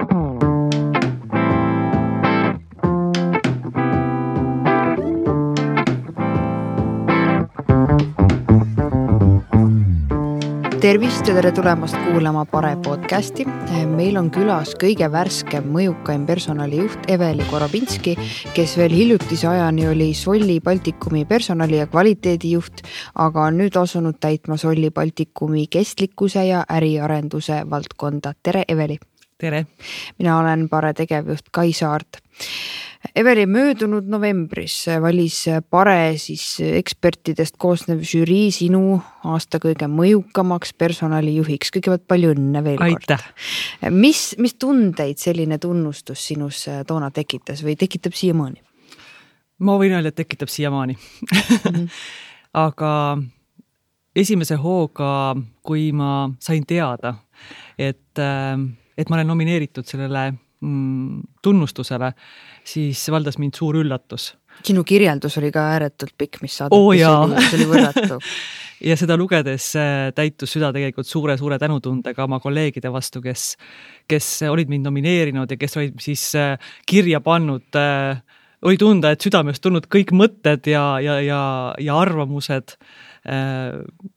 Tervist ja tere tulemast kuulama Pare podcasti. Meil on külas kõige värskem mõjukaim personalijuht Eveli Korobinski, kes veel hiljutise ajani oli Solli Baltikumi personali- ja kvaliteedijuht, aga on nüüd asunud täitma Solli Baltikumi kestlikkuse ja äriarenduse valdkonda. Tere, Eveli! Tere! Mina olen Pare tegevjuht Kai Saart. Eveli, möödunud novembris valis Pare ekspertidest koosnev žürii sinu aasta kõige mõjukamaks personalijuhiks. Kõigepealt palju õnne veel kord. Aitäh! Mis tundeid selline tunnustus sinus toona tekitas või tekitab siiamaani? Ma võin öelda, et tekitab siiamaani. Aga esimese hooga, kui ma sain teada, et ma olen nomineeritud sellele tunnustusele, siis valdas mind suur üllatus. Sinu kirjeldus oli ka ääretult pikk, mis saadeti, see oli võrratu. Ja seda lugedes täitus süda tegelikult suure tänutundega oma kolleegide vastu, kes olid mind nomineerinud ja kes olid siis kirja pannud, oli tunda, et südamest tulnud kõik mõtted ja arvamused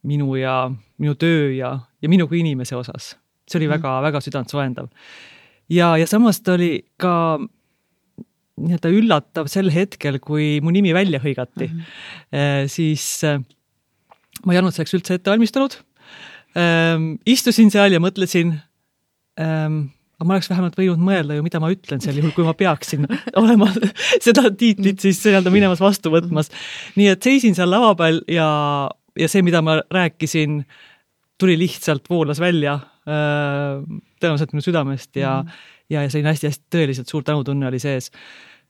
minu töö ja minu kui inimese osas. See oli väga südant soendav. Ja samas ta oli ka üllatav sel hetkel, kui mu nimi välja hõigati. Siis ma ei olnud selleks üldse ette valmistanud. Istusin seal ja mõtlesin, aga ma oleks vähemalt võinud mõelda ju, mida ma ütlen sel juhul, kui ma peaksin olema seda tiitlit siis minemas vastu võtmas. Nii et seisin seal lava peal ja see, mida ma rääkisin, tuli lihtsalt voolas välja tõenäoliselt minu südamest ja selline hästi tõeliselt suur tänutunne oli sees.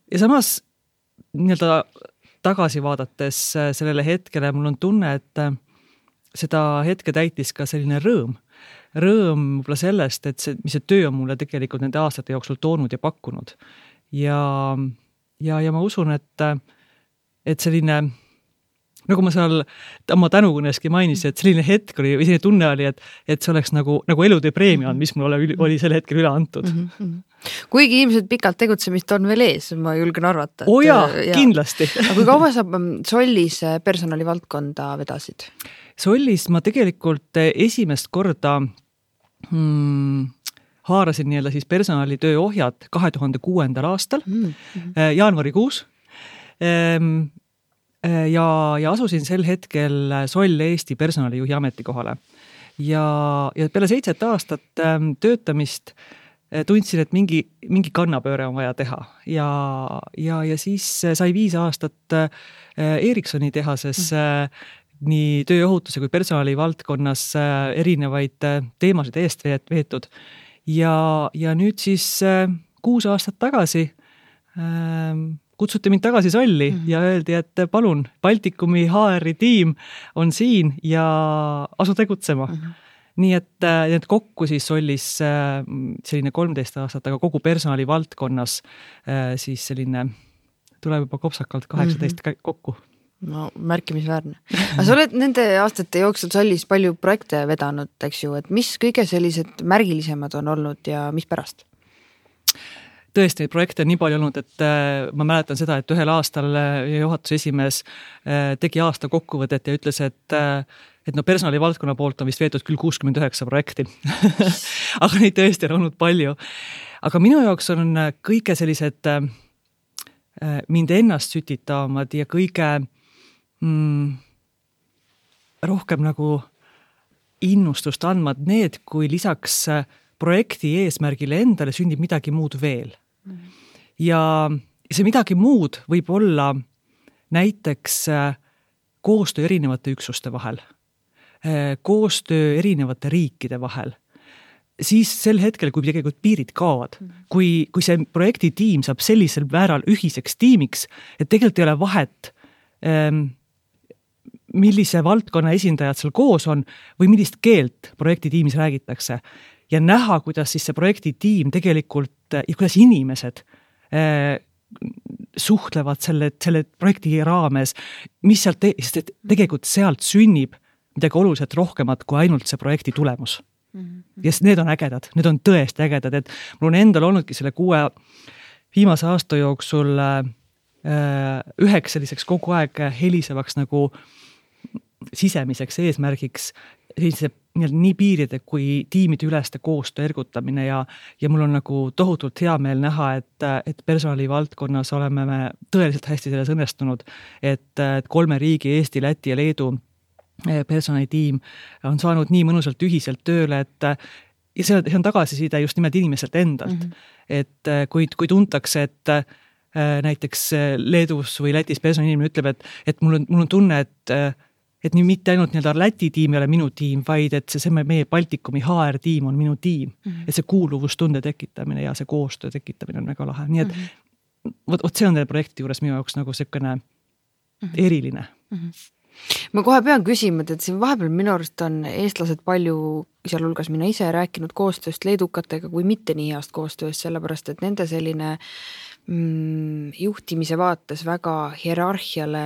Ja samas tagasi vaadates sellele hetkele mul on tunne, et seda hetke täitis ka selline rõõm võib-olla sellest, et mis see töö on mulle tegelikult nende aastate jooksul toonud ja pakkunud. Ja ma usun, et selline, nagu ma seal oma tänukõneski mainisin, et selline hetk oli, või selline tunne oli, et see oleks nagu elutöö preemia, mis mul oli sel hetkel üle antud. Kuigi ilmselt pikalt tegutsemist on veel ees, ma julgen arvata. Kindlasti. Aga kui kaua sa Sollis personalivaldkonda vedasid? Sollis ma tegelikult esimest korda haarasin siis personalitöö ohjad 2006. aastal, jaanuarikuus. Ja asusin sel hetkel Soll Eesti personalijuhi ametikohale. Ja peale 7 aastat töötamist tundsin, et mingi kannapööre on vaja teha. Ja siis sai 5 aastat Ericssoni tehases nii tööohutuse kui personali valdkonnas erinevaid teemasid eest veetud. Ja nüüd siis 6 aastat tagasi kutsuti mind tagasi Solli ja öeldi, et palun, Baltikumi HR-i tiim on siin ja asu tegutsema. Nii et kokku siis Sollis selline 13 aastat, aga kogu personali valdkonnas siis selline, tuleb juba kopsakalt 18 kokku. No, märkimisväärne. Aga sa oled nende aastate jooksul Sollis palju projekte vedanud, eks ju, et mis kõige sellised märgilisemad on olnud ja mis pärast? Tõesti, projekte on nii palju olnud, et ma mäletan seda, et ühel aastal juhatuse esimees tegi aasta kokkuvõtet ja ütles, et personali valdkonna poolt on vist veetud küll 69 projekti. Aga neid tõesti on olnud palju. Aga minu jaoks on kõige sellised mind ennast sütitavamad ja kõige rohkem nagu innustust andmad need, kui lisaks projekti eesmärgile endale sünnib midagi muud veel. Ja see midagi muud võib olla näiteks koostöö erinevate üksuste vahel, koostöö erinevate riikide vahel. Siis sel hetkel, kui tegelikult piirid kaovad, kui see projektitiim saab sellisel määral ühiseks tiimiks, et tegelikult ei ole vahet, millise valdkonna esindajad seal koos on või millist keelt projektitiimis räägitakse. Ja näha, kuidas siis see projektitiim tegelikult ja kuidas inimesed suhtlevad selle projekti raames, mis sealt tegelikult sealt sünnib midagi oluliselt rohkemat kui ainult see projekti tulemus. Ja need on ägedad, need on tõesti ägedad, et mul on endal olnudki selle 6 viimase aasta jooksul üheks selliseks kogu aeg helisevaks nagu sisemiseks eesmärgiks nii piiride kui tiimide üleste koostöö ergutamine ja mul on nagu tohutult hea meel näha, et personali valdkonnas oleme me tõeliselt hästi selles õnnestunud, et 3 riigi, Eesti, Läti ja Leedu personalitiim on saanud nii mõnusalt ühiselt tööle, ja see on tagasiside just nimelt inimeselt endalt. Et kui tuntakse, et näiteks Leedus või Lätis personalinimene ütleb, et mul on tunne, et nii mitte ainult Läti tiim ei ole minu tiim, vaid et see meie Baltikumi HR-tiim on minu tiim. Et see kuuluvustunde tekitamine ja see koostöö tekitamine on väga lahe. Nii et võt see on teile projekti juures minu jaoks nagu selline eriline. Ma kohe pean küsima, et siin vahepeal minu arust on eestlased palju, sealhulgas mina ise rääkinud koostööst leedukatega kui mitte nii heast koostööst, sellepärast et nende selline juhtimise vaates väga hierarhiale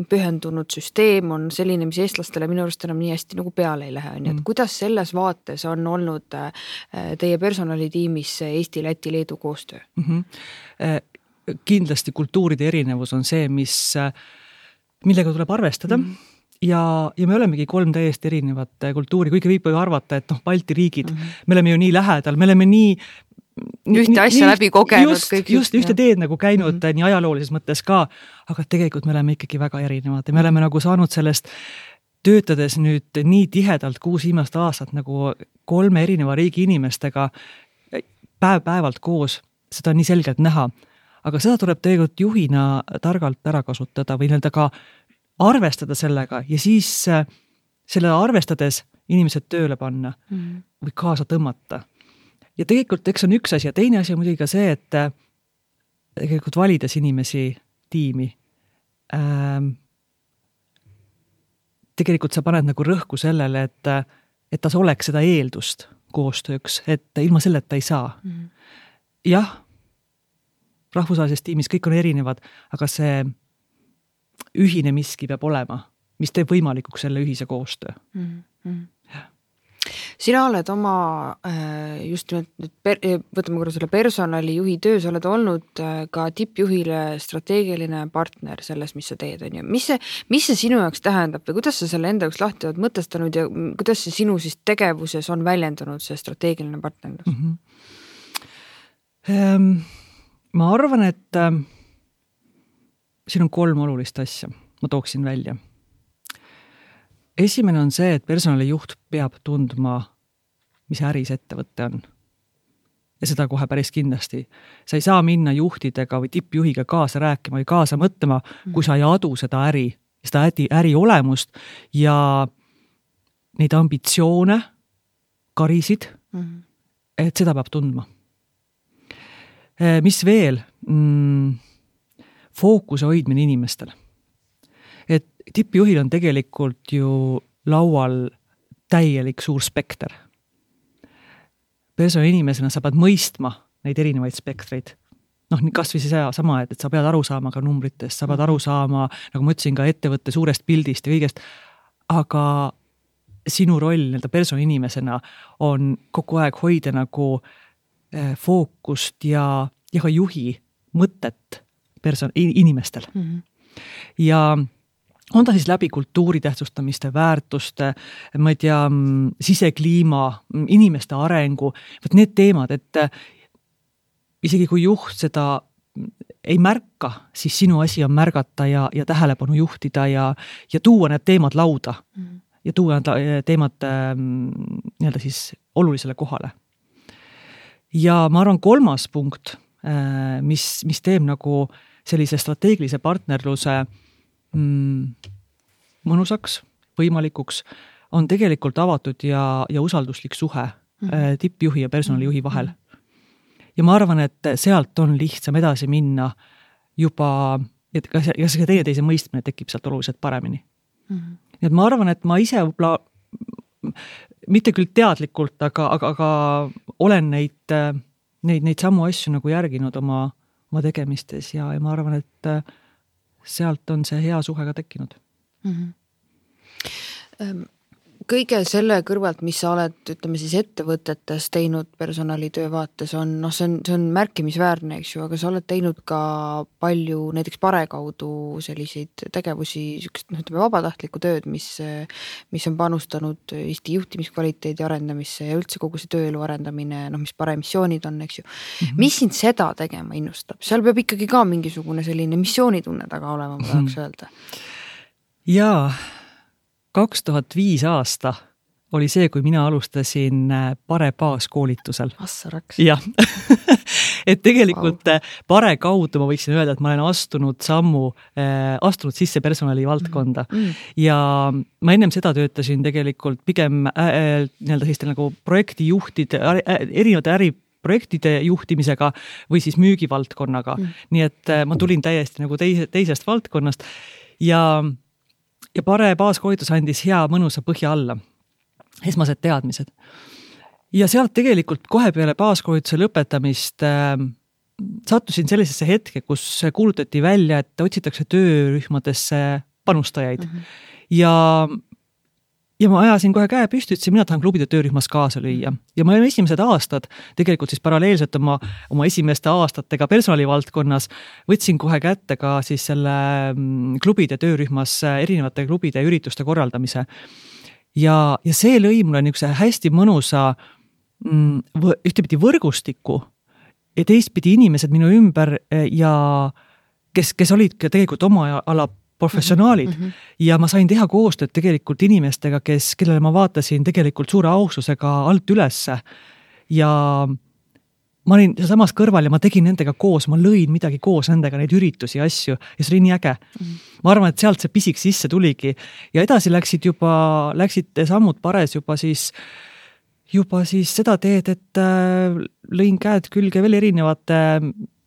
pühendunud süsteem on selline, mis eestlastele minu arust enam nii hästi nagu peale ei lähe. Et kuidas selles vaates on olnud teie personalitiimis Eesti, Läti, Leedu koostöö? Kindlasti kultuuride erinevus on see, millega tuleb arvestada ja me olemegi 3 täiesti erinevat kultuuri, kuigi võib arvata, et Balti riigid, me oleme ju nii lähedal, me oleme nii ühte asja läbi kogenud. Just ühte teed nagu käinud nii ajaloolises mõttes ka, aga tegelikult me oleme ikkagi väga erinevad ja me oleme nagu saanud sellest töötades nüüd nii tihedalt 6 viimast aastat nagu 3 erineva riigi inimestega päev-päevalt koos, seda on nii selgelt näha. Aga seda tuleb tegelikult juhina targalt ära kasutada või ka arvestada sellega ja siis selle arvestades inimesed tööle panna või kaasa tõmmata. Ja tegelikult eks on üks asi ja teine asi on muidugi ka see, et tegelikult valides inimesi tiimi, tegelikult sa paned nagu rõhku sellele, et ta oleks seda eeldust koostööks, et ilma selleta ei saa. Jah, rahvusvahelises tiimis kõik on erinevad, aga see ühine miski peab olema, mis teeb võimalikuks selle ühise koostöö. Sina oled oma just võtame korra selle personalijuhi töös, oled olnud ka tippjuhile strateegiline partner selles, mis sa teed. Mis see sinu jaoks tähendab või kuidas sa selle enda jaoks lahti oled mõtestanud ja kuidas see sinu siis tegevuses on väljendunud see strateegiline partnerlus? Ma arvan, et siin on 3 olulist asja, ma tooksin välja. Esimene on see, et personalijuht peab tundma, mis äris ettevõtte on. Ja seda kohe päris kindlasti. Sa ei saa minna juhtidega või tippjuhiga kaasa rääkima või kaasa mõtlema, kui sa ei adu seda äri olemust ja neid ambitsioone, karisid, et seda peab tundma. Mis veel? Fookuse hoidmine inimestel. Et tippjuhil on tegelikult ju laual täielik suur spekter. Persona inimesena sa pead mõistma neid erinevaid spektreid. Kas või see sama, et sa pead aru saama ka numbritest, sa pead aru saama, nagu ma ütlesin, ka ettevõtte suurest pildist ja kõigest, aga sinu roll persona inimesena on kogu aeg hoida nagu fookust ja ka juhi mõtet inimestel. Ja on ta siis läbi kultuuri tähtsustamiste, väärtuste, ma ei tea, sisekliima, inimeste arengu, need teemad, et isegi kui juht seda ei märka, siis sinu asi on märgata ja tähelepanu juhtida ja tuua need teemad lauda ja tuua teemad siis olulisele kohale. Ja ma arvan 3. punkt, mis teeb nagu sellise strateegilise partnerluse mõnusaks, võimalikuks, on tegelikult avatud ja usalduslik suhe tippjuhi ja personalijuhi vahel. Ja ma arvan, et sealt on lihtsam edasi minna juba, ja see teise mõistmine tekib sealt oluliselt paremini. Nii et ma arvan, et ma ise võib-olla mitte küll teadlikult, aga olen neid samu asju nagu järginud oma tegemistes ja ma arvan, et sealt on see hea suhe ka tekkinud. kõige selle kõrvalt, mis sa oled, ütleme siis ettevõtetes teinud personalitöö vaates on, see on märkimisväärne, eks ju, aga sa oled teinud ka palju näiteks Pare kaudu selliseid tegevusi, ütleme vabatahtlikku tööd, mis on panustanud Eesti juhtimiskvaliteedi arendamisse ja üldse kogu see tööelu arendamine, mis Pare missioonid on, eks ju. Mis sind seda tegema innustab? Seal peab ikkagi ka mingisugune selline missioonitunne taga olema, ma tahaks öelda. Jaa. 2005 aasta oli see, kui mina alustasin Pare baaskoolitusel. Assaraks. Jah. Et tegelikult Pare kaudu ma võiksin öelda, et ma olen astunud sisse personali valdkonda. Ja ma ennem seda töötasin tegelikult pigem nagu projektijuhtide, erinevate äriprojektide juhtimisega või siis müügivaldkonnaga. Nii et ma tulin täiesti nagu teisest valdkonnast ja Pare baaskoolitus andis hea mõnusa põhja alla, esmased teadmised. Ja sealt tegelikult kohe peale baaskoolituse lõpetamist sattusin sellisesse hetke, kus kuulutati välja, et otsitakse töörühmadesse panustajaid. Ja ma ajasin kohe käe püsti, ütlesin, mina tahan klubide töörühmas kaasa lüüa. Ja ma olen esimesed aastad, tegelikult siis paralleelselt oma esimeste aastatega personalivaldkonnas, võtsin kohe kätte ka siis selle klubide töörühmas erinevate klubide ürituste korraldamise. Ja see lõi mulle niisuguse hästi mõnusa ühtepidi võrgustiku ja teistpidi inimesed minu ümber ja kes olid tegelikult oma ala professionaalid ja ma sain teha koostööd tegelikult inimestega, kellele ma vaatasin tegelikult suure austusega alt ülesse ja ma olin samas kõrval ja ma tegin nendega koos, ma lõin midagi koos nendega, neid üritusi ja asju ja see oli nii äge. Ma arvan, et sealt see pisik sisse tuligi ja edasi läksid sammud Pares juba siis seda teed, et lõin käed külge veel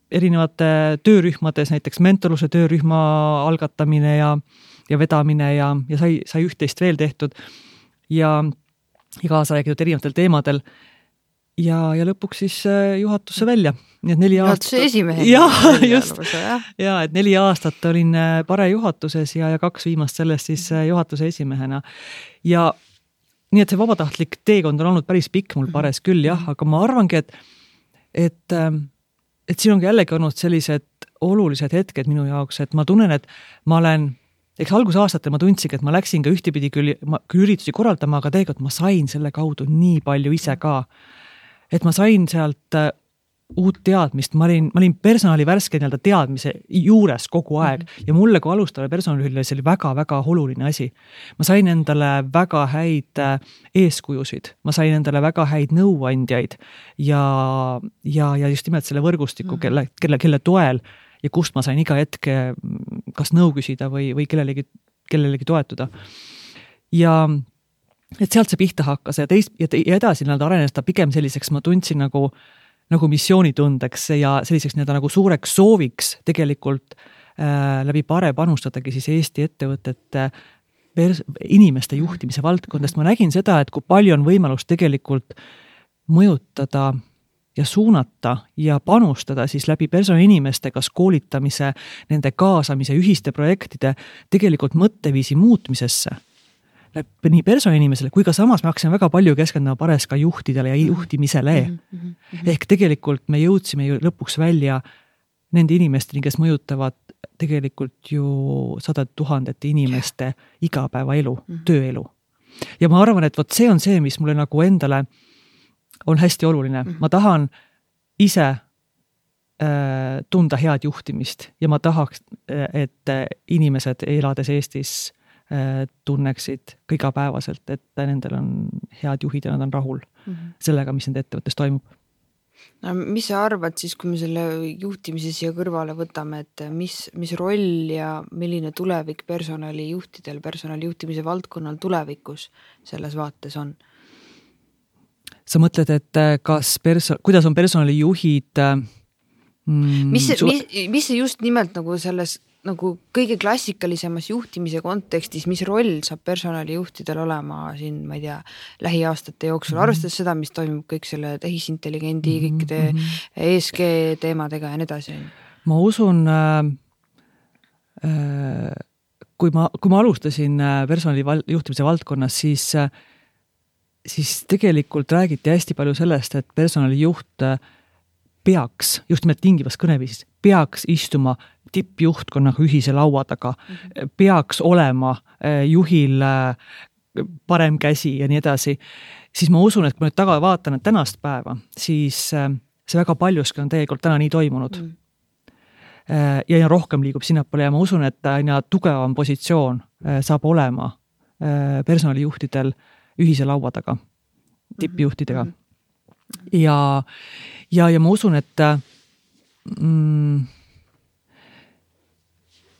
erinevate töörühmades, näiteks mentorluse töörühma algatamine ja vedamine ja sai üht-teist veel tehtud ja kaasa räägitud erinevatel teemadel ja lõpuks siis juhatusse välja. Nii et 4 aastat. Juhatuse esimehel. Jah, just. Ja, et 4 aastat olin Pare juhatuses ja 2 viimast sellest siis juhatuse esimehena. Ja nii, et see vabatahtlik teekond on olnud päris pikk mul Pares küll, jah, aga ma arvangi, et siin ongi jällegi olnud sellised olulised hetked minu jaoks, et ma tunnen, et ma olen, algusaastatel ma tundsin, et ma läksin ka ühtepidi küll üritusi korraldama, aga tegelikult ma sain selle kaudu nii palju ise ka. Et ma sain sealt uut teadmist, ma olin personali värske teadmise juures kogu aeg ja mulle kui alustavale personalile see oli väga-väga oluline asi. Ma sain endale väga häid eeskujusid, ma sain endale väga häid nõuandjaid ja just nimelt selle võrgustiku, kelle toel ja kust ma sain iga hetke kas nõu küsida või kellelegi toetuda. Ja et sealt see pihta hakkas ja edasi arenes ta pigem selliseks, ma tundsin nagu missioonitundeks ja selliseks nagu suureks sooviks tegelikult läbi Pare panustadagi siis Eesti ettevõtete inimeste juhtimise valdkondast. Ma nägin seda, et kui palju on võimalus tegelikult mõjutada ja suunata ja panustada siis läbi personalinimeste kas koolitamise, nende kaasamise, ühiste projektide tegelikult mõtteviisi muutmisesse. Nii personalinimesele, kui ka samas me hakkasime väga palju keskendama Pares ka juhtidele ja juhtimisele. Ehk tegelikult me jõudsime ju lõpuks välja nende inimesteni, kes mõjutavad tegelikult ju 100 000 inimeste igapäevaelu, tööelu. Ja ma arvan, et see on see, mis mulle nagu endale on hästi oluline. Ma tahan ise tunda head juhtimist ja ma tahaks, et inimesed elades Eestis tunneksid igapäevaselt, et nendel on head juhid ja nad on rahul sellega, mis nende ettevõttes toimub. No, mis sa arvad siis, kui me selle juhtimise siia kõrvale võtame, et mis roll ja milline tulevik personalijuhtidel, personalijuhtimise valdkonnal tulevikus selles vaates on? Sa mõtled, et kuidas on personalijuhid mis see just nimelt nagu selles nagu kõige klassikalisemas juhtimise kontekstis, mis roll saab personalijuhtidel olema siin, ma ei tea, lähiaastate jooksul, arvestades seda, mis toimub kõik selle tehisintelligendi, kõikide ESG teemadega ja nii edasi? Ma usun kui ma alustasin personali juhtimise valdkonnas, siis tegelikult räägiti hästi palju sellest, et personalijuht peaks, just nimelt tingivas kõneviisis, peaks istuma tippjuhtkonnaga ühise laua taga, peaks olema juhil parem käsi ja nii edasi, siis ma usun, et kui ma nüüd taga vaatan tänast päeva, siis see väga paljuski on tegelikult täna nii toimunud. Ja rohkem liigub sinnapoole ja ma usun, et aina tugevam positsioon saab olema personalijuhtidel ühise laua taga, tippjuhtidega. Ja ma usun, et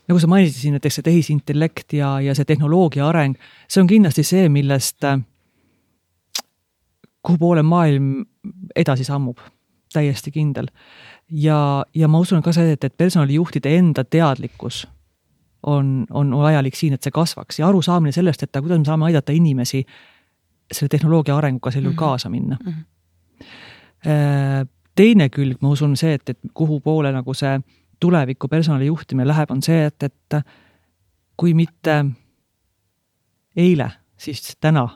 nagu sa mainisid siin, näiteks see tehisintellekt ja see tehnoloogia areng, see on kindlasti see, millest kuhu poole maailm edasi sammub, täiesti kindel. Ja ma usun ka see, et personalijuhtide enda teadlikkus on vajalik siin, et see kasvaks ja arusaamine sellest, et kuidas me saame aidata inimesi selle tehnoloogia arenguga selle kaasa minna. Teine külg, ma usun see, et kuhu poole nagu see tuleviku personalijuhtimine läheb, on see, et kui mitte eile, siis täna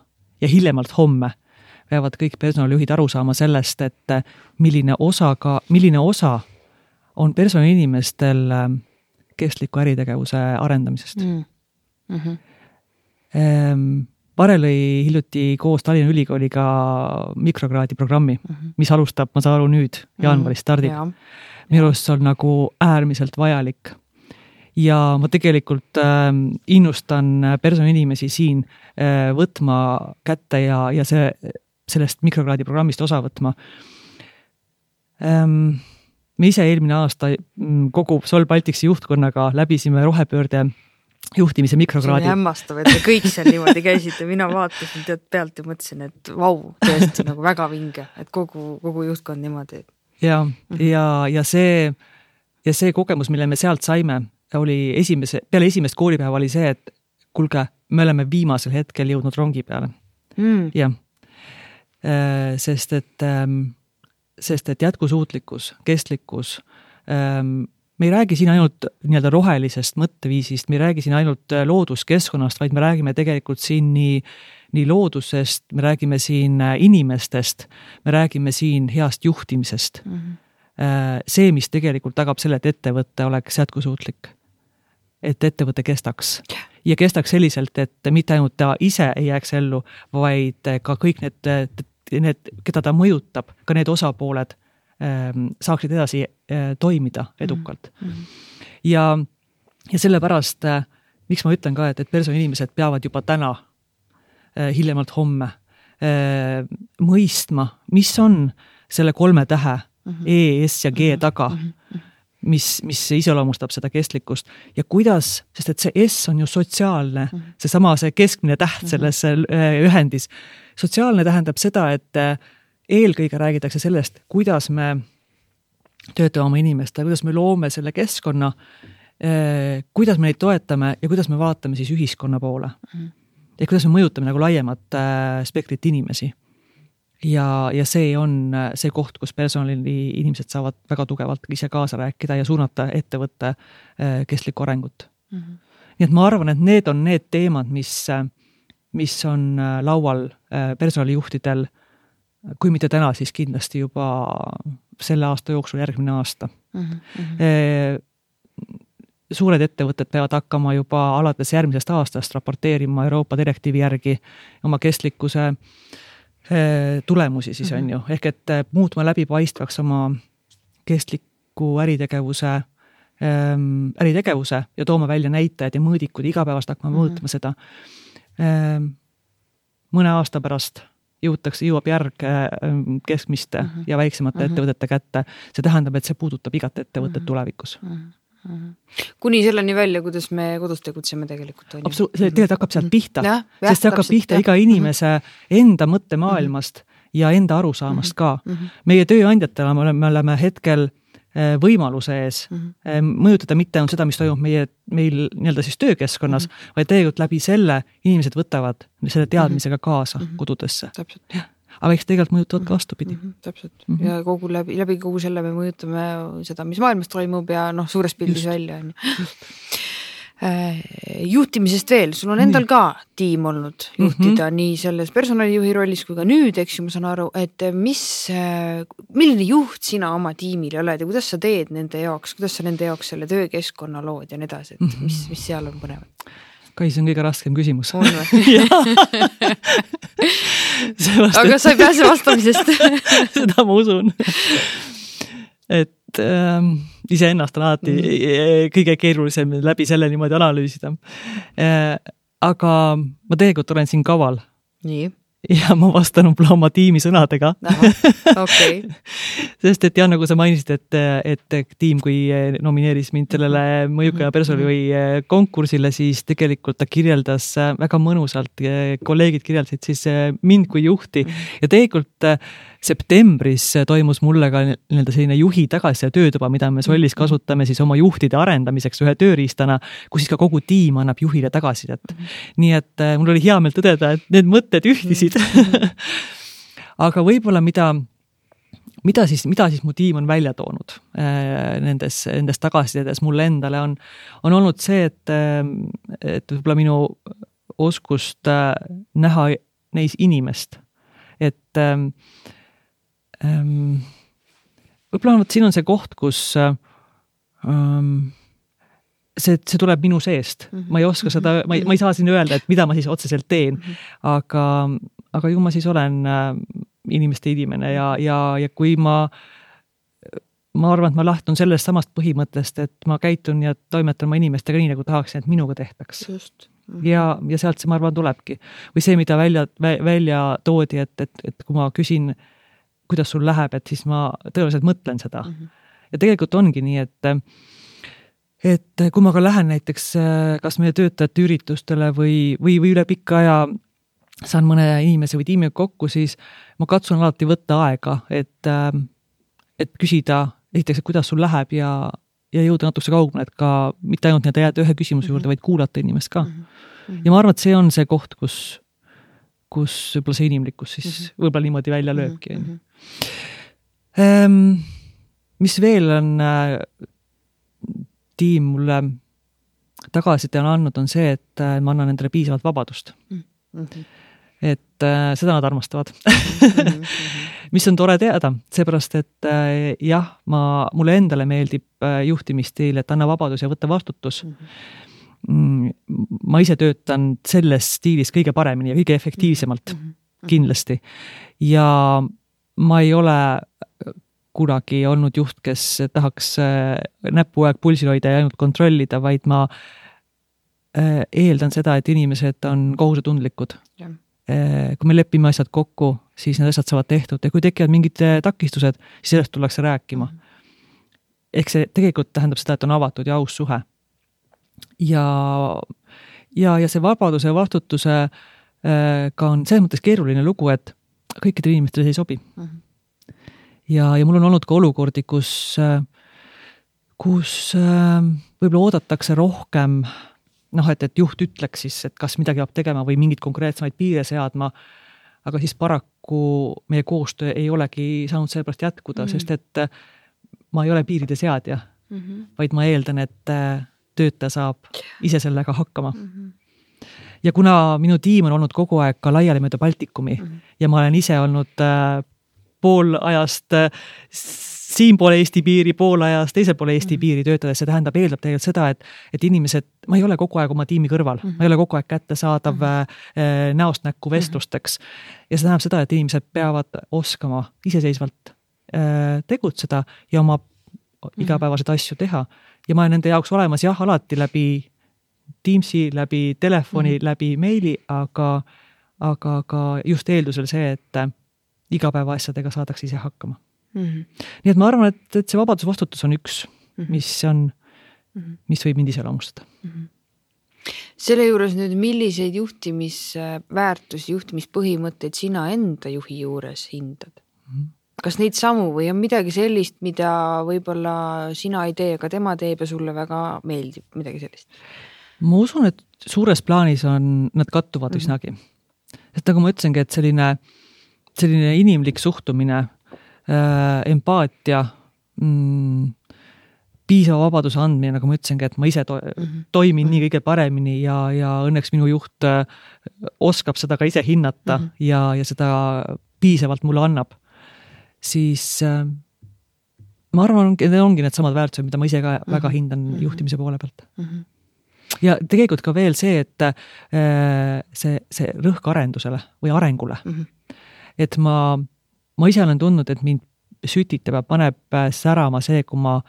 ja hiljemalt homme peavad kõik personalijuhid aru saama sellest, et milline osa on personaliinimestel kestliku äritegevuse arendamisest. Pare lõi hiljuti koos Tallinna Ülikooliga mikrokraadi programmi, mis alustab, ma saan aru nüüd, jaanuaris stardib. Minu arust see on nagu äärmiselt vajalik. Ja ma tegelikult innustan personaliinimesi siin võtma kätte ja sellest mikrokraadi programmist osa võtma. Me ise eelmine aasta kogu Sol Balticsi juhtkonnaga läbisime rohepöörde juhtimise mikrokraadi. See on hämmastav, et te kõik seal niimoodi käisite. Mina vaatasin tead pealt ja mõtlesin, et tõesti nagu väga vinge, et kogu juhtkond niimoodi. Ja see kogemus, mille me sealt saime, oli peale esimest koolipäeva oli see, et kuulge, me oleme viimasel hetkel jõudnud rongi peale. Jah. Sest et jätkusuutlikkus, kestlikkus, me ei räägi siin ainult nii-öelda rohelisest mõtteviisist, me ei räägi siin ainult looduskeskkonnast, vaid me räägime tegelikult siin nii loodusest, me räägime siin inimestest, me räägime siin heast juhtimisest. See, mis tegelikult tagab selle, et ettevõte oleks jätkusuutlik, et ettevõte kestaks ja kestaks selliselt, et mitte ainult ta ise ei jääks ellu, vaid ka kõik need, keda ta mõjutab, ka need osapooled saaksid edasi toimida edukalt. Ja sellepärast, miks ma ütlen ka, et personaliinimesed peavad juba täna, hiljemalt homme, mõistma, mis on selle 3 tähe E, S ja G taga, mis iseloomustab seda kestlikkust ja kuidas, sest et see S on ju sotsiaalne, see keskmine täht selles ühendis. Sotsiaalne tähendab seda, et eelkõige räägitakse sellest, kuidas me töötame oma inimeste, kuidas me loome selle keskkonna, kuidas me neid toetame ja kuidas me vaatame siis ühiskonna poole. Ja kuidas me mõjutame nagu laiemat spektrit inimesi. Ja see on see koht, kus personali inimesed saavad väga tugevalt ise kaasa rääkida ja suunata ettevõtte kestlikku arengut. Nii et ma arvan, et need on need teemad, mis on laual personalijuhtidel, kui mitte täna, siis kindlasti juba selle aasta jooksul, järgmine aasta. Suured ettevõtted peavad hakkama juba alates järgmisest aastast raporteerima Euroopa direktiivi järgi oma kestlikkuse tulemusi siis on ju. Ehk et muutma läbipaistvaks oma kestliku äritegevuse ja tooma välja näitajad ja mõõdikud, igapäevast hakkama mõõtma seda. Mõne aasta pärast jõuab järg keskmiste ja väiksemate ettevõtete kätte. See tähendab, et see puudutab igat ettevõtet tulevikus. Kuni selleni välja, kuidas me kodus tegutseme tegelikult. See tegelikult hakkab sealt pihta, sest see hakkab pihta iga inimese enda mõttemaailmast ja enda arusaamast ka. Meie tööandjatele me oleme hetkel võimaluse ees mõjutada mitte on seda, mis toimub meil nii-öelda siis töökeskkonnas, vaid tegelikult läbi selle inimesed võtavad selle teadmisega kaasa kodudesse. Täpselt. Aga eks tegelikult mõjutavad ka vastupidi. Täpselt. Ja läbi kogu selle me mõjutame seda, mis maailmas toimub ja suures pildis välja. Juhtimisest veel, sul on endal ka tiim olnud juhtida nii selles personalijuhi rollis kui ka nüüd, eks ju, ma saan aru, et milline juht sina oma tiimile oled ja kuidas sa teed nende jaoks, kuidas sa nende jaoks selle töökeskkonna lood ja nii edasi, et mis seal on põnevat? Kai, see on kõige raskem küsimus. On või? Aga sa ei pääse vastamisest. Seda ma usun. Et iseennast on alati kõige keerulisem läbi selle niimoodi analüüsida. Aga ma tegelikult olen siin kaval. Nii. Ja ma vastan oma tiimi sõnadega. Okay. Sest et nagu sa mainisid, et tiim, kui nomineeris mind sellele mõjuka ja personalijuhi konkursile, siis tegelikult ta kirjeldas väga mõnusalt, kolleegid kirjeldasid siis mind kui juhti ja tegelikult septembris toimus mulle ka selline juhi tagasi töötuba, mida me Sollis kasutame siis oma juhtide arendamiseks ühe tööriistana, kus siis ka kogu tiim annab juhile tagasisidet. Nii et mul oli hea meel tõdeda, et need mõtted ühtisid. Aga võib-olla mida siis mu tiim on välja toonud nendes tagasisidedes mulle endale on olnud see, et võib-olla minu oskust näha neis inimest. Et võib-olla siin on see koht, kus see tuleb minu seest. Ma ei oska seda, ma ei saa siin öelda, et mida ma siis otseselt teen, aga ju ma siis olen inimeste inimene ja kui ma arvan, et ma lähtun sellest samast põhimõttest, et ma käitun ja toimetan oma inimestega nii, nagu tahaksin, et minuga tehtaks. Just. Ja sealt see, ma arvan, tulebki. Või see, mida välja toodi, et kui ma küsin, kuidas sul läheb, et siis ma tõenäoliselt mõtlen seda. Ja tegelikult ongi nii, et kui ma ka lähen näiteks kas meie töötajate üritustele või üle pikka aja saan mõne inimese või tiimiga kokku, siis ma katsun alati võtta aega, et küsida esiteks, et kuidas sul läheb ja jõuda natuke kaugemale, et ka mitte ainult need jääda ühe küsimuse juurde, vaid kuulata inimest ka. Ja ma arvan, et see on see koht, kus võib-olla see inimlikkus siis võib-olla niimoodi välja lööbki. Mis veel on tiim mulle tagasiside on andnud, on see, et ma annan nendele piisavalt vabadust. Et seda nad armastavad. Mis on tore teada, seepärast, et jah, mulle endale meeldib juhtimisstiil, et anna vabadus ja võtta vastutus. Ma ise töötan selles stiilis kõige paremini ja kõige efektiivsemalt kindlasti. Ja ma ei ole kunagi olnud juht, kes tahaks näppu aeg pulsil hoida ja ainult kontrollida, vaid ma eeldan seda, et inimesed on kohusetundlikud. Kui me lepime asjad kokku, siis need asjad saavad tehtud ja kui tekivad mingid takistused, siis sellest tullakse rääkima. Ehk see tegelikult tähendab seda, et on avatud ja aus suhe. Ja see vabaduse ja vastutuse ka on selles mõttes keeruline lugu, et kõikidele inimestele see ei sobi. Ja mul on olnud ka olukordi, kus võib-olla oodatakse rohkem, et juht ütleks siis, et kas midagi peab tegema või mingid konkreetsemaid piire seadma, aga siis paraku meie koostöö ei olegi saanud sellepärast jätkuda, sest et ma ei ole piiride seadja, vaid ma eeldan, et töötaja saab ise sellega hakkama. Ja kuna minu tiim on olnud kogu aeg ka laiali mööda Baltikumi ja ma olen ise olnud pool ajast siin poole Eesti piiri, pool ajast teisel poole Eesti piiri töötades, see eeldab tegelikult seda, et inimesed, ma ei ole kogu aeg oma tiimi kõrval, ma ei ole kogu aeg kättesaadav näost näkku vestlusteks ja see tähendab seda, et inimesed peavad oskama iseseisvalt tegutseda ja oma igapäevased asju teha ja ma olen nende jaoks olemas jah, alati läbi Teamsi, läbi telefoni, läbi meili, aga just eeldusel see, et igapäeva asjadega saadaks ise hakkama. Nii et ma arvan, et see vabadusvastutus on üks, mis võib mind ise loomustada. Selle juures nüüd, milliseid juhtimisväärtusi, juhtimispõhimõtteid sina enda juhi juures hindad? Kas neid samu või on midagi sellist, mida võib-olla sina ei tee, aga tema teeb ja sulle väga meeldib, midagi sellist? Ma usun, et suures plaanis nad kattuvad üsnagi. Et nagu ma ütlesingi, et selline inimlik suhtumine, empaatia, piisava vabaduse andmine, nagu ma ütlesingi, et ma ise toimin nii kõige paremini ja õnneks minu juht oskab seda ka ise hinnata ja seda piisavalt mulle annab, siis ma arvan, need ongi need samad väärtused, mida ma ise ka väga hindan juhtimise poole pealt. Ja tegelikult ka veel see, et see rõhk arendusele või arengule. Et ma ise olen tundnud, et mind sütitab ja paneb särama see, kui ma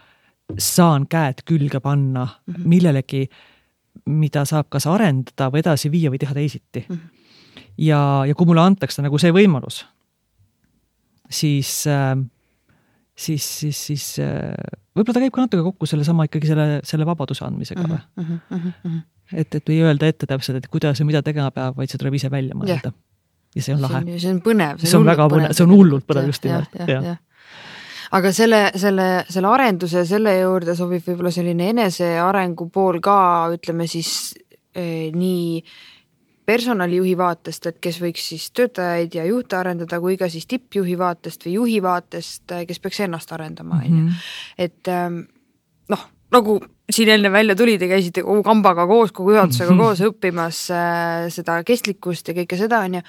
saan käed külge panna millelegi, mida saab kas arendada või edasi viia või teha teisiti. Ja kui mulle antakse nagu see võimalus, siis võib-olla ta käib ka natuke kokku selle ikkagi selle vabaduse andmisega. Et ei öelda ette täpselt, et kuidas ja mida tegema peab, vaid see tuleb ise välja mõelda. Ja see on lahe. See on põnev. See on väga põnev. See on hullult põnev just nimelt. Aga selle arenduse, selle juurde sobib võib-olla selline enesearengu pool ka, ütleme siis nii personalijuhi vaatest, et kes võiks siis töötajaid ja juhte arendada, kui ka siis tippjuhi vaatest või juhi vaatest, kes peaks ennast arendama. Et nagu siin enne välja tuli, te käisite kogu kambaga koos, kogu juhatusega koos õppimas seda kestlikkust ja kõike seda on ja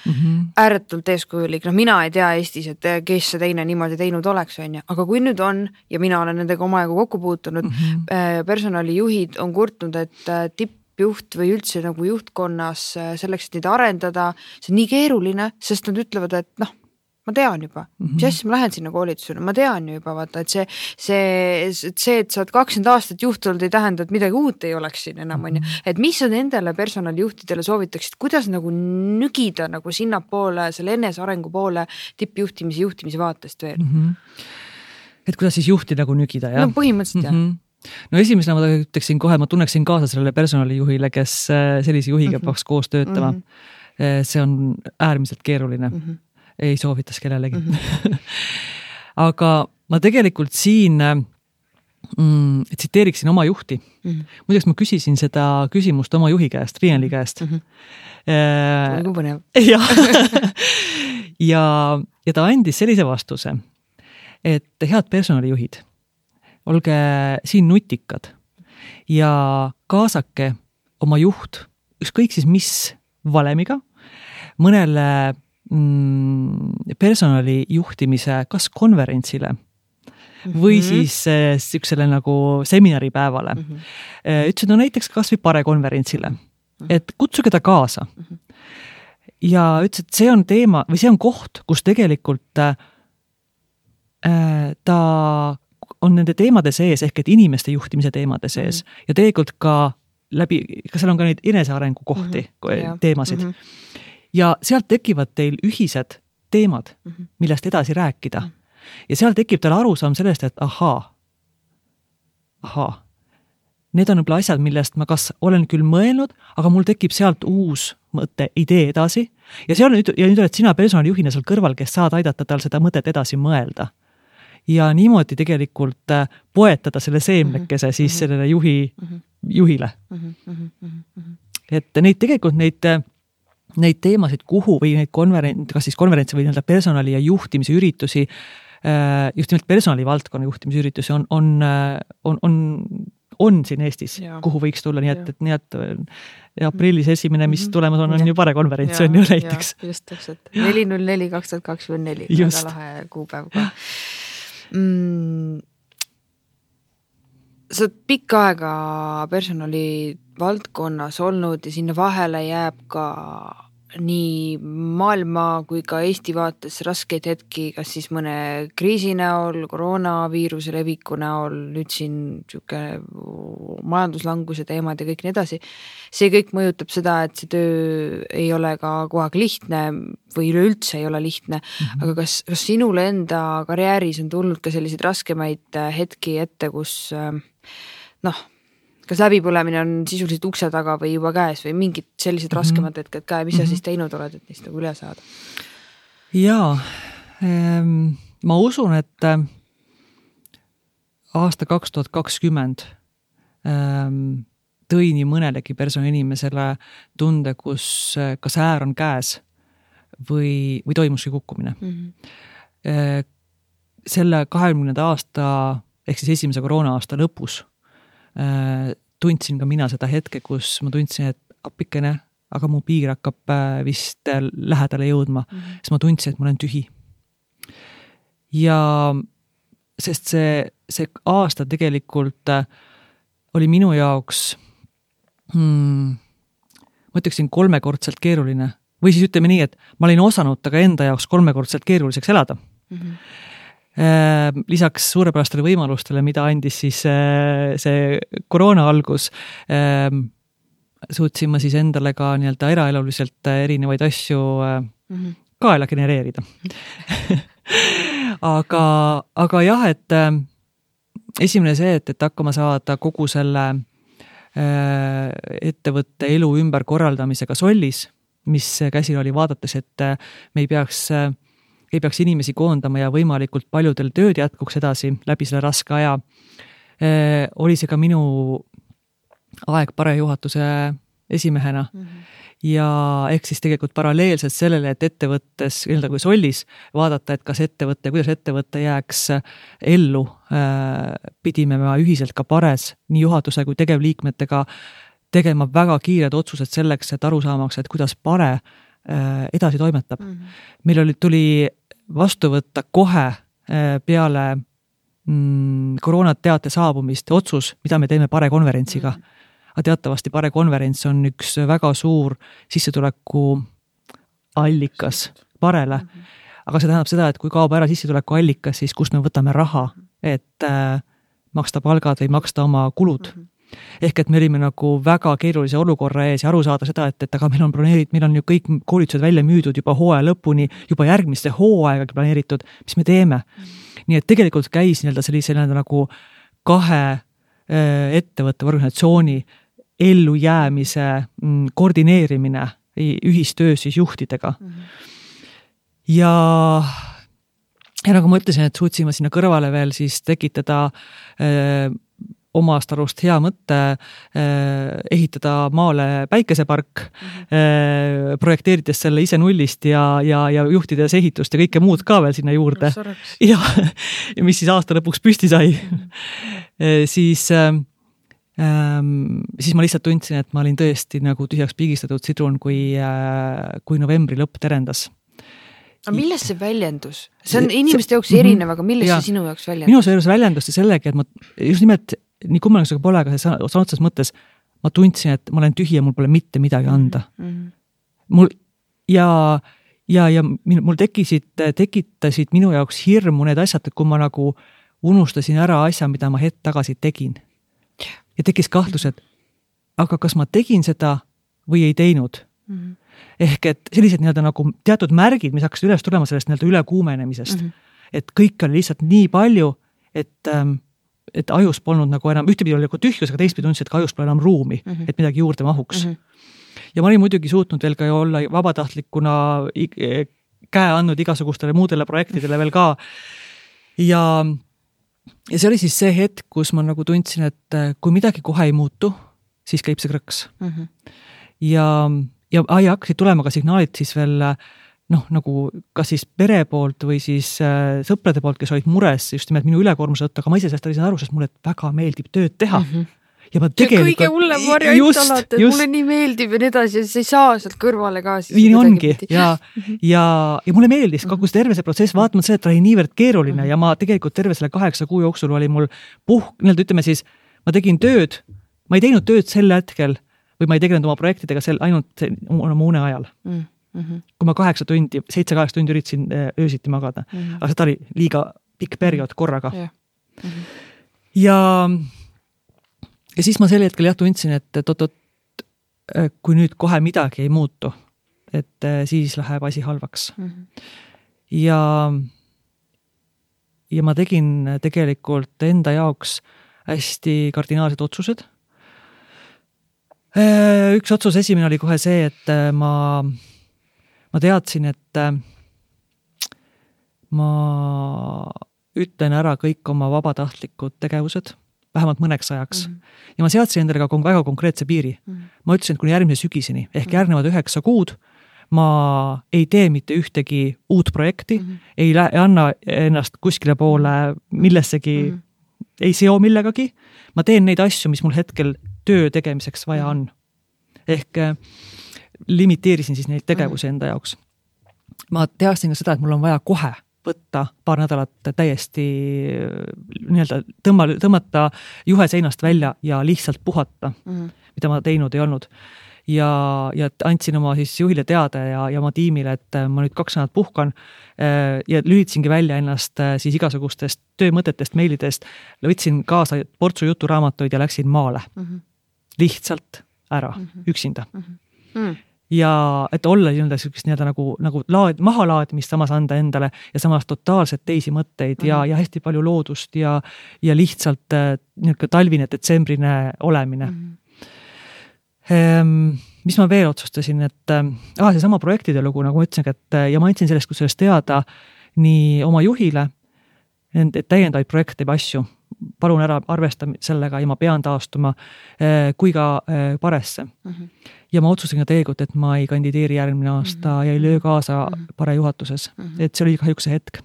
ääretult eeskujulik. Mina ei tea Eestis, et kes see teine niimoodi teinud oleks, on ja. Aga kui nüüd on, ja mina olen nendega omajagu kokku puutunud, personalijuhid on kurtnud, et tippjuht või üldse nagu juhtkonnas selleks, et neid arendada, see on nii keeruline, sest nad ütlevad, et ma tean juba, mis asja ma lähen sinna koolitusele, ma tean ju juba, vaata, et see, et sa oled 20 aastat juht olnud, ei tähenda, et midagi uut ei oleks siin enam, on ju. Et mis on endale personalijuhtidele soovitaksid, kuidas nagu nügida nagu sinna poole, selle enesearengu poole tippjuhtimise vaatest veel? Et kuidas siis juhti nagu nügida, jah? No põhimõtteliselt, jah. No esimesena ma ütleksin kohe, ma tunneksin kaasa sellele personalijuhile, kes sellise juhiga peaks koos töötama. See on äärmiselt keeruline. Ei soovitas kellelegi. Aga ma tegelikult siin tsiteeriksin oma juhti. Muideks ma küsisin seda küsimust oma juhi käest, Rienli käest. Nagu põnev. Ja ta andis sellise vastuse, et head personalijuhid, olge siin nutikad ja kaasake oma juht, ükskõik siis mis valemiga, mõnele personali juhtimise kas konverentsile või siis üksele nagu seminaripäevale. Ütlesin, no näiteks kas või pare konverentsile, et kutsuge ta kaasa. Ja ütles, et see on teema või see on koht, kus tegelikult ta on nende teemade sees ehk et inimeste juhtimise teemade sees ja tegelikult ka seal on ka neid enesearengu kohti, teemasid. Ja sealt tekivad teil ühised teemad, millest edasi rääkida. Ja seal tekib teil arusaam sellest, et ahaa, need on võib-olla asjad, millest ma kas olen küll mõelnud, aga mul tekib sealt uus mõte, idee edasi. Ja nüüd oled sina personalijuhina seal kõrval, kes saad aidata tal seda mõtet edasi mõelda. Ja niimoodi tegelikult poetada selle seemnekese siis sellele juhile. Et neid tegelikult neid teemasid, kuhu või neid kas siis konverentse või personali ja juhtimise üritusi, just nimelt personali valdkonna juhtimise üritusi on siin Eestis, kuhu võiks tulla, nii et aprillis esimene, mis tulemas on ju pare konverents, on ju näiteks. Just täpselt, 4.04.2024, väga lahe kuupäev ka. Sa oled pikka aega personali valdkonnas olnud ja sinna vahele jääb ka nii maailma kui ka Eesti vaates raskeid hetki, kas siis mõne kriisi näol, koroonaviiruse leviku näol, nüüd siin majanduslanguse teemad ja kõik nii edasi. See kõik mõjutab seda, et see töö ei ole ka kogu aeg lihtne või üleüldse ei ole lihtne, aga kas sinule enda karjääris on tulnud ka selliseid raskemaid hetki ette, kus kas läbipõlemine on sisuliselt ukse taga või juba käes või mingid sellised raskemad hetked käe, mis sa siis teinud oled, et neist nagu üle saada? Jaa, ma usun, et aasta 2020 tõi nii mõnelegi personalinimesele tunde, kus kas äär on käes või toimuski kukkumine. Selle 20 aasta ehk siis esimese koroona-aasta lõpus tundsin ka mina seda hetke, kus ma tundsin, et appikene, aga mu piir hakkab vist lähedale jõudma, siis ma tundsin, et ma olen tühi. Ja sest see aasta tegelikult oli minu jaoks, ma ütleksin 3-kordselt keeruline. Või siis ütleme nii, et ma olin osanud taga enda jaoks 3-kordselt keeruliseks elada. Lisaks suurepärastele võimalustele, mida andis siis see koroona algus, suutsin ma siis endale ka nii-öelda eraeluliselt erinevaid asju kaela genereerida. aga jah, et esimene see, et hakkama saada kogu selle ettevõtte elu ümber korraldamisega Sollis, mis käsil oli vaadates, et me ei peaks inimesi koondama ja võimalikult paljudel tööd jätkuks edasi läbi selle raske aja. Oli see ka minu aeg Pare juhatuse esimehena. Ja ehk siis tegelikult paralleelselt sellele, et ettevõttes, kui Sollis, vaadata, et kas ettevõtte, kuidas ettevõtte jääks ellu, pidime me ühiselt ka Pares nii juhatuse kui tegevliikmetega tegema väga kiired otsused selleks, et aru saamaks, et kuidas Pare edasi toimetab. Meil tuli vastu võtta kohe peale koroonateate saabumist otsus, mida me teeme Pare konverentsiga. Aga teatavasti Pare konverents on üks väga suur sissetuleku allikas Parele. Aga see tähendab seda, et kui kaob ära sissetuleku allikas, siis kust me võtame raha, et maksta palgad või maksta oma kulud. Ehk et me olime nagu väga keerulise olukorra ees ja aru saada seda, et aga meil on ju kõik koolitused välja müüdud juba hooaja lõpuni, juba järgmiste hooaega planeeritud, mis me teeme. Nii et tegelikult käis sellise nagu 2 ettevõtte organisatsiooni ellu jäämise koordineerimine ühistöös siis juhtidega. Ja nagu ma ütlesin, et suutsime sinna kõrvale veel siis tekitada omast arust hea mõtte ehitada maale päikesepark, projekteerides selle ise nullist ja juhtides ehitust ja kõike muud ka veel sinna juurde. Ja mis siis aasta lõpuks püsti sai. Siis ma lihtsalt tundsin, et ma olin tõesti nagu tühjaks pigistatud sidrun, kui novembri lõpp terendas. Aga millest see väljendus? See on inimeste jaoks erinev, aga millest see sinu jaoks väljendus? Minu see väljendus sellega, et ma just nimelt nii kummaline pole, aga see otseses mõttes ma tundsin, et ma olen tühi ja mul pole mitte midagi anda. Mul tekitasid minu jaoks hirmu need asjad, et kui ma nagu unustasin ära asja, mida ma hetk tagasi tegin. Ja tekkis kahtlus, et aga kas ma tegin seda või ei teinud? Ehk et sellised nagu teatud märgid, mis hakkasid üles tulema sellest ülekuumenemisest. Et kõik oli lihtsalt nii palju, et ajus polnud nagu enam, ühtepidi oli nagu tühjus, aga teistpidi tundis, et ka ajus pole enam ruumi, et midagi juurde mahuks. Ja ma olin muidugi suutnud veel ka olla vabatahtlikuna käe andnud igasugustele muudele projektidele veel ka. Ja see oli siis see hetk, kus ma nagu tundsin, et kui midagi kohe ei muutu, siis käib see krõks. Ja hakkasid tulema ka signaalid siis veel nagu kas siis pere poolt või siis sõprade poolt, kes olid mures just nimelt minu ülekoormuse tõttu, aga ma ise sellest olin aru, sest mulle väga meeldib tööd teha. Ja ma tegelikult... Kõige hullem variant alati, et mulle nii meeldib ja nii edasi, ja sa ei saa sealt kõrvale ka. Nii ongi. Ja mulle meeldis kogu see terve see protsess, vaatama see, et ta oli niivõrd keeruline ja ma tegelikult terve selle 8 kuu jooksul oli mul ütleme siis, ma tegin tööd, ma ei teinud tööd sel hetkel või ma ei tegelenud oma projektidega ainult oma une ajal. Kui ma 7-8 tundi üritasin öösiti magada. Aga seda oli liiga pikk periood korraga. Ja siis ma sel hetkel tundsin, et kui nüüd kohe midagi ei muutu, et siis läheb asi halvaks. Ja ma tegin tegelikult enda jaoks hästi kardinaalsed otsused. Üks otsus esimene oli kohe see, et ma teadsin, et ma ütlen ära kõik oma vabatahtlikud tegevused, vähemalt mõneks ajaks. Ja ma seadsin endale ka väga konkreetse piiri. Ma ütlesin, et kuni järgmise sügiseni, ehk järgnevad 9 kuud, ma ei tee mitte ühtegi uut projekti, ei anna ennast kuskile poole millessegi ei seo millegagi, ma teen neid asju, mis mul hetkel töö tegemiseks vaja on. Ehk limiteerisin siis neid tegevusi enda jaoks. Ma teadsin ka seda, et mul on vaja kohe võtta paar nädalat täiesti nii-öelda tõmmata juhe seinast välja ja lihtsalt puhata, mida ma teinud ei olnud. Ja andsin oma siis juhile teada ja oma tiimile, et ma nüüd 2 nädalat puhkan ja lülitasingi välja ennast siis igasugustest töömõtetest, meilidest, võtsin kaasa portsu juturaamatuid ja läksin maale. Lihtsalt ära, üksinda. Ja et olla nagu mahalaadimist samas anda endale ja samas totaalselt teisi mõtteid ja hästi palju loodust ja lihtsalt talvine, detsembrine olemine. Mis ma veel otsustasin, et seesama projektide lugu, nagu ma ütlesin, ja ma andsin sellest teada nii oma juhile, et täiendavaid projekte või asju, palun ära arvesta sellega ja ma pean taastuma kui ka paresse. Ja ma otsustasin ka tegelikult, et ma ei kandideeri järgmine aasta ja ei löö kaasa pare juhatuses. Et see oli kahjuks see hetk.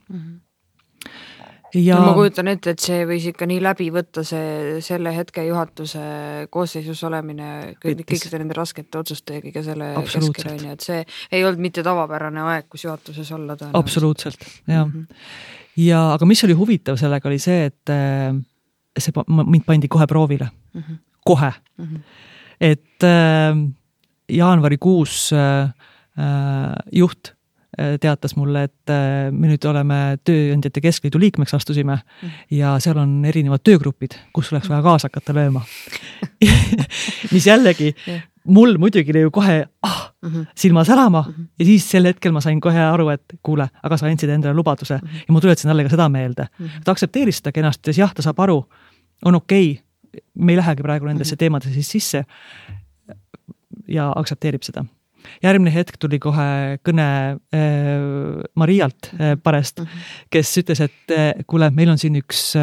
Ja ma kujutan ette, et see võis ikka nii läbi võtta selle hetke juhatuse koosseisus olemine kõikide nende raskete otsuste ja kõige selle keskel, et see ei olnud mitte tavapärane aeg, kus juhatuses olla. Absoluutselt, jah. Ja aga mis oli huvitav sellega oli see, et mind pandi kohe proovile. Kohe. Et jaanuarikuus juht teatas mulle, et me nüüd oleme tööandjate keskliidu liikmeks astusime ja seal on erinevad töögrupid, kus oleks vaja kaasa hakata lööma. Mis jällegi, mul muidugi oli ju kohe silma särama ja siis sel hetkel ma sain kohe aru, et kuule, aga sa andsid endale lubaduse ja ma tuletasin talle ka seda meelde. Ta aktsepteeris seda kenasti, jah, ta saab aru, on okei, me ei lähegi praegu nendesse teemadesse siis sisse ja aktsepteerib seda. Järgmine hetk tuli kohe kõne Marialt parest, kes ütles, et kuule, meil on siin üks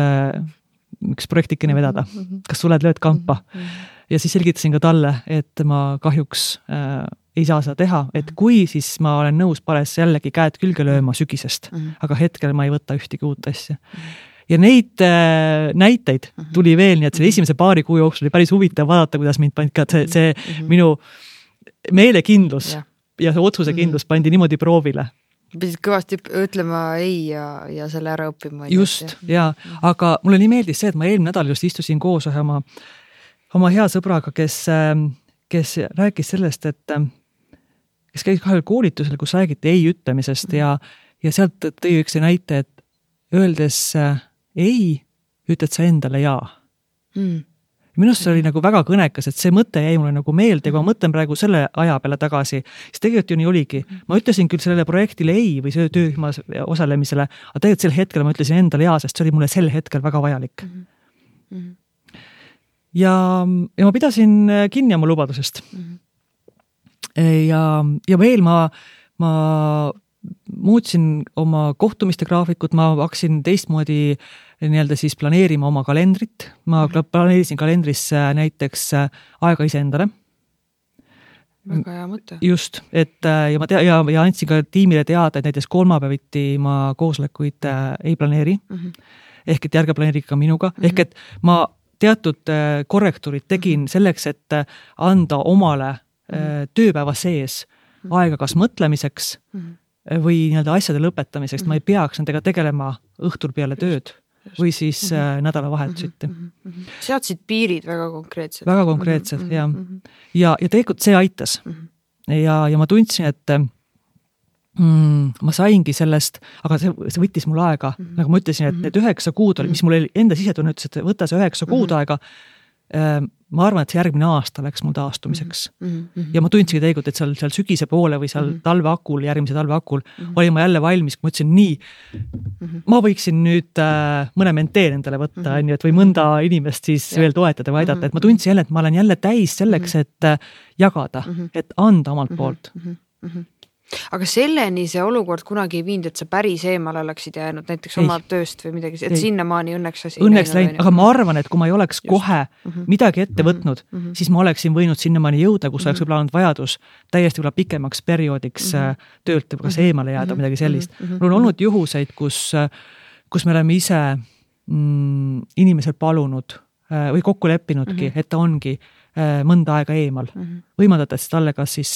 projektikene vedada. Kas suled lööd kampa? Ja siis selgitasin ka talle, et ma kahjuks ei saa seda teha, et kui siis ma olen nõus pares jällegi käed külge lööma sügisest, aga hetkel ma ei võta ühtegi uut asja. Ja neid näiteid tuli veel, nii et selle esimese paari kuu jooksul oli päris huvitav vaadata, kuidas mind pandi ka see minu meelekindlus ja see otsusekindlus pandi niimoodi proovile. Pidid kõvasti ütlema ei ja selle ära õppima. Just, ja. Aga mulle nii meeldis see, et ma eelmine nädal just istusin koos oma hea sõbraga, kes rääkis sellest, et kes käis kahel koolitusel, kus räägiti ei ütlemisest ja sealt tõi üks näite, et öeldes ei, ütled sa endale jaa. Minust see oli nagu väga kõnekas, et see mõte jäi mulle nagu meelde, kui ma mõtlen praegu selle aja peale tagasi, siis tegelikult ju nii oligi. Ma ütlesin küll sellele projektile ei või see töörühmas osalemisele, aga tegelikult sel hetkel ma ütlesin endale jaa, sest see oli mulle sel hetkel väga vajalik. Ja ma pidasin kinni oma lubadusest. Ja veel ma muutsin oma kohtumiste graafikut, ma hakkasin teistmoodi nii-öelda siis planeerima oma kalendrit. Ma planeerisin kalendrisse näiteks aega iseendale. Väga hea mõte. Just, et ja andsin ka tiimile teada, et näiteks kolmapäeviti ma koosolekuid ei planeeri. Ehk et järge planeerige ka minuga. Ehk et ma teatud korrektuurid tegin selleks, et anda omale tööpäeva sees aega kas mõtlemiseks või nii-öelda asjade lõpetamiseks. Ma ei peaks nendega tegelema õhtul peale tööd või siis nädalavahetusiti. Seadsid piirid väga konkreetsed. Väga konkreetsed, jah. Ja tegelikult see aitas. Ja ma tundsin, et ma saingi sellest, aga see võttis mul aega. Nagu ma ütlesin, et need 9 kuud oli, mis mul enda sisetunne ütles, et võtta see 9 kuud aega. Ma arvan, et see järgmine aasta läks mul taastumiseks. Ja ma tundsingi tegelikult, et seal sügise poole või seal järgmise talve akul olin ma jälle valmis, kui ma ütlesin nii, ma võiksin nüüd mõne menteen endale võtta, või mõnda inimest siis veel toetada või aidata, et ma tundsin jälle, et ma olen jälle täis selleks, et jagada, et anda omalt poolt. Aga selleni see olukord kunagi ei viinud, et sa päris eemale oleksid jäänud näiteks oma tööst või midagi, et sinnamaani õnneks asi läinud, aga ma arvan, et kui ma ei oleks kohe midagi ette võtnud, siis ma oleksin võinud sinnamaani jõuda, kus oleks võib-olla olnud vajadus täiesti võib-olla pikemaks perioodiks töölt kas eemale jääda midagi sellist. Mul on olnud juhuseid, kus me oleme ise inimesel palunud või kokku leppinudki, et ta ongi mõnda aega eemal. Võimaldates talle kas siis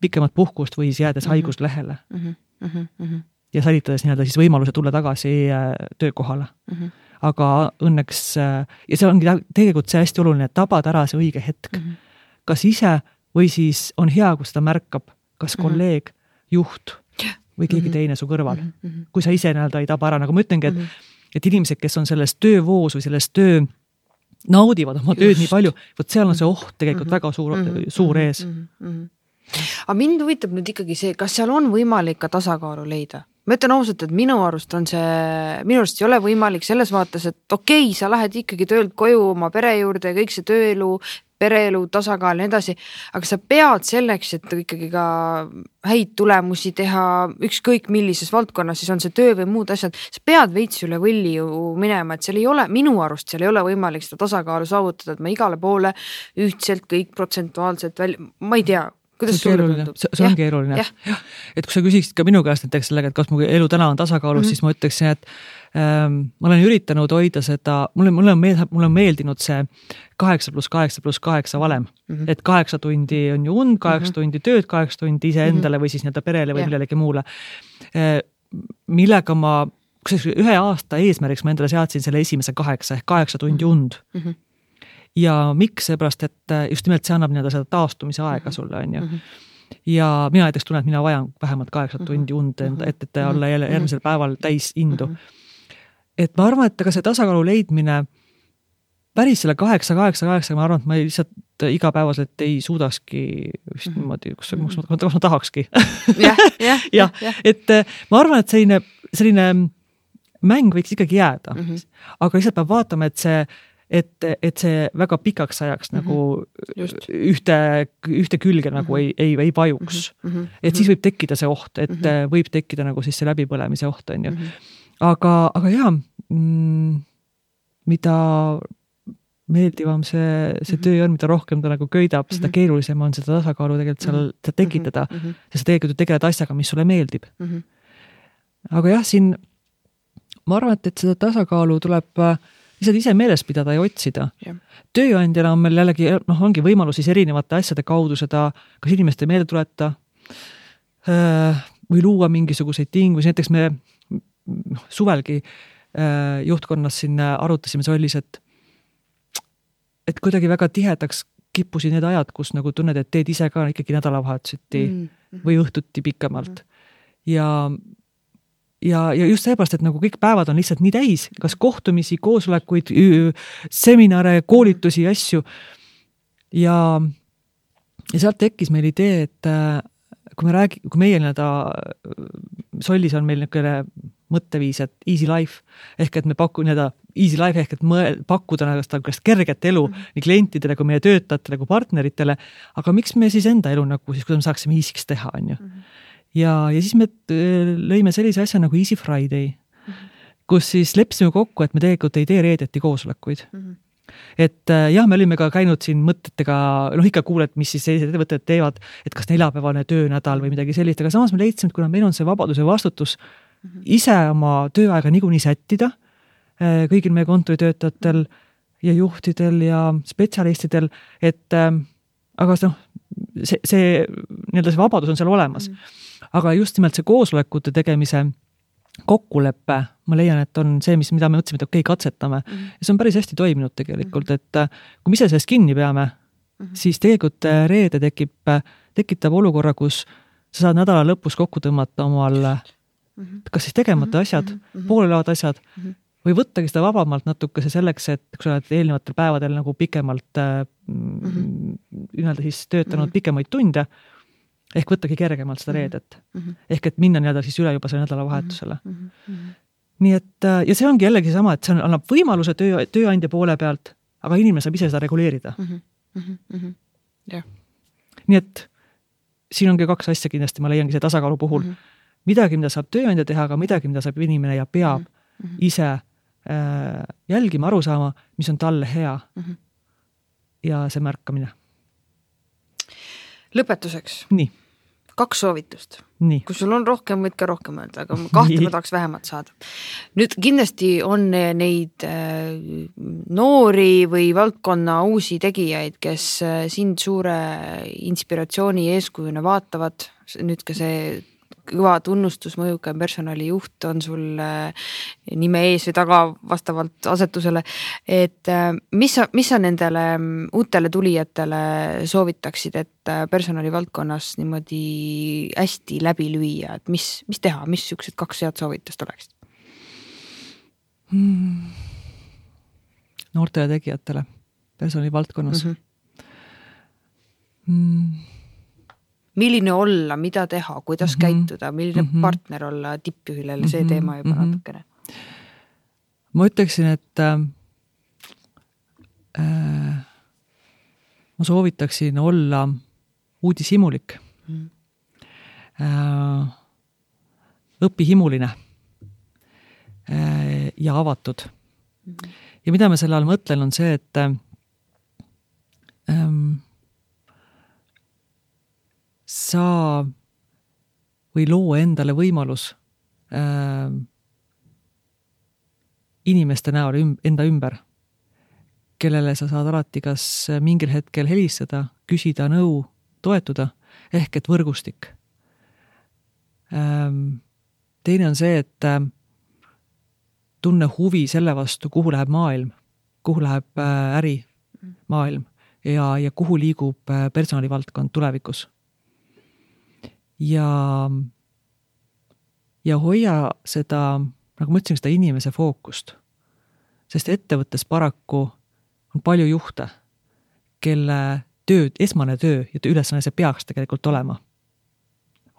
pikemat puhkust või jäädes haiguslehele. Ja säilitades nii-öelda siis võimaluse tulla tagasi töökohale. Aga õnneks, ja see ongi tegelikult see hästi oluline, et tabad ära see õige hetk. Kas ise või siis on hea, kui seda märkab kas kolleeg, juht või keegi teine su kõrval. Kui sa ise nii-öelda ei taba ära, nagu ma ütlengi, et inimesed, kes on selles töövoos või selles naudivad oma tööd nii palju, võt seal on see oht tegelikult väga suur ees. Aga mind huvitab nüüd ikkagi see, kas seal on võimalik ka tasakaalu leida? Ma ütlen ausalt, et minu arust ei ole võimalik selles vaates, et okei, sa lähed ikkagi töölt koju oma pere juurde ja kõik see tööelu, pereelu, tasakaal ja nii edasi, aga sa pead selleks, et ikkagi ka häid tulemusi teha, ükskõik millises valdkonnas, siis on see töö või muud asjad, sa pead veits üle võlli ju minema, et minu arust seal ei ole võimalik seda tasakaalu saavutada, et ma igale poole ühtselt kõik protsentuaalselt ma ei tea, kuidas sulle tundub? See on keeruline. Et kui sa küsiksid ka minu käest näiteks sellega, et kas mu elu täna on tasakaalus, siis ma ütleksin, et ma olen üritanud hoida seda, mulle on meeldinud see 8+8+8 valem, et 8 tundi on ju und, 8 tundi tööd, 8 tundi ise endale või siis nii-öelda perele või millelegi muule. Millega ühe aasta eesmärgiks ma endale seadsin selle esimese 8 tundi und. Ja miks seepärast, et just nimelt see annab nii-öelda seda taastumise aega sulle, on ju. Ja mina näiteks tunnen, et mina vajan vähemalt 8 tundi und, et olla järgmisel päeval täis indu. Et ma arvan, et ka see tasakaalu leidmine päris selle 8, ma arvan, et ma lihtsalt igapäevaselt ei suudakski vist niimoodi, kus ma tahakski. Ja, et ma arvan, et selline mäng võiks ikkagi jääda. Aga lihtsalt peab vaatama, et see väga pikaks ajaks nagu ühte külge nagu ei vajuks. Et siis võib tekkida see oht, et võib tekkida nagu siis see läbipõlemise oht, on ju. Aga jaa, mida meeldivam see töö on, mida rohkem ta nagu köidab, seda keerulisem on seda tasakaalu tegelikult seal tekitada, ja sa tegelikult tegeled asjaga, mis sulle meeldib. Aga jah, siin ma arvan, et seda tasakaalu tuleb lihtsalt ise meeles pidada ja otsida. Tööandjana on meil jällegi, ongi võimalus siis erinevate asjade kaudu seda kas inimeste meelde tuleta või luua mingisuguseid tingusi. Näiteks me suvelgi juhtkonnas siin arutasime Sollis, et kuidagi väga tihedaks kippusid need ajad, kus nagu tunned, et teed ise ka ikkagi nädalavahetuseti või õhtuti pikemalt. Ja just seepärast, et nagu kõik päevad on lihtsalt nii täis, kas kohtumisi, koosolekuid, seminare, koolitusi, asju. Ja sealt tekkis meil idee, et kui meie Sollis on meil niisugune mõtteviis, et easy life, ehk et me easy life ehk et pakkuda kerget elu nii klientidele kui meie töötajatele kui partneritele, aga miks me siis enda elu nagu siis, kuidas me saaksime easy'ks teha, on ju. Ja siis me lõime sellise asja nagu Easy Friday, kus siis leppisime kokku, et me tegelikult ei tee reedeti koosolekuid. Et jah, me olime ka käinud siin mõtetega, ikka kuuled, mis siis sellised ettevõtted teevad, et kas neljapäevane töönädal või midagi sellist, aga samas me leidsime, et kuna meil on see vabadus ja vastutus ise oma tööaega niikuinii sättida kõigil meie kontoritöötajatel ja juhtidel ja spetsialistidel, et aga see vabadus on seal olemas. Aga just nimelt see koosolekute tegemise kokkuleppe, ma leian, et on see, mida me mõtlesime, et okei, katsetame. Ja see on päris hästi toiminud tegelikult, et kui me ise sellest kinni peame, siis tegelikult reede tekitab olukorra, kus sa saad nädala lõpus kokku tõmmata omal kas siis tegemata asjad, poolelevad asjad, või võttagi seda vabamalt natukese selleks, et kui sa oled eelnevatel päevadel nagu pikemalt siis töötanud pikemaid tunde, ehk võttagi kergemalt seda reedet. Ehk et minna siis üle juba selle nädalavahetusele. Nii et, ja see ongi jällegi sama, et see annab võimaluse tööandja poole pealt, aga inimene saab ise seda reguleerida. Nii et siin ongi 2 asja kindlasti, ma leiangi see tasakaalu puhul. Midagi, mida saab tööandja teha, aga midagi, mida saab inimene ja peab ise jälgima, aru saama, mis on talle hea ja see märkamine. Lõpetuseks. Nii. 2 soovitust. Nii. Kui sul on rohkem, võid ka rohkem öelda, aga 2 ma tahaks vähemalt saada. Nüüd kindlasti on neid noori või valdkonna uusi tegijaid, kes sind suure inspiratsiooni eeskujuna vaatavad. Nüüd ka see kõva tunnustus mõjukaim personalijuht on sul nime ees või taga vastavalt asetusele. Et mis sa nendele uutele tulijatele soovitaksid, et personalivaldkonnas niimoodi hästi läbi lüüa, et mis teha, mis siuksed 2 head soovitust oleks? Noortele tegijatele personalivaldkonnas. Milline olla, mida teha, kuidas käituda, milline partner olla tippjuhilele, see teema juba natukene. Ma ütleksin, et ma soovitaksin olla uudishimulik, õpihimuline ja avatud. Ja mida ma selle all mõtlen on see, et sa või loo endale võimalus inimeste näol enda ümber, kellele sa saad alati kas mingil hetkel helistada, küsida nõu, toetuda, ehk et võrgustik. Teine on see, et tunne huvi selle vastu, kuhu läheb maailm, kuhu läheb ärimaailm ja kuhu liigub personalivaldkond tulevikus. Ja hoia seda, nagu ma ütlesin, seda inimese fookust, sest ettevõttes paraku on palju juhte, kelle esmane töö ja ülesanne see peaks tegelikult olema.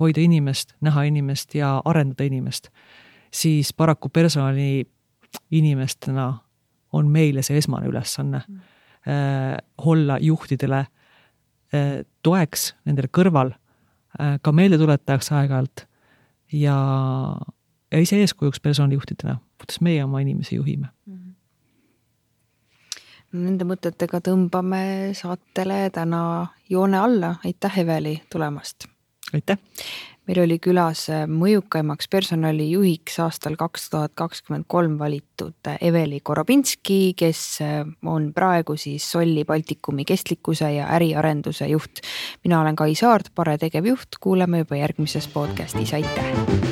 Hoida inimest, näha inimest ja arendada inimest, siis paraku personali inimestena on meile see esmane ülesanne olla juhtidele toeks nendele kõrval, ka meelde tuletajaks aeg-ajalt ja ise eeskujuks personalijuhtidena, kuidas meie oma inimesi juhime. Nende mõtetega tõmbame saatele täna joone alla. Aitäh, Eveli, tulemast! Aitäh! Meil oli külas mõjukaimaks personalijuhiks aastal 2023 valitud Eveli Korobinski, kes on praegu siis Solli Baltikumi kestlikkuse ja äriarenduse juht. Mina olen Kai Saart, Pare tegevjuht, kuuleme juba järgmises podcastis. Aitäh!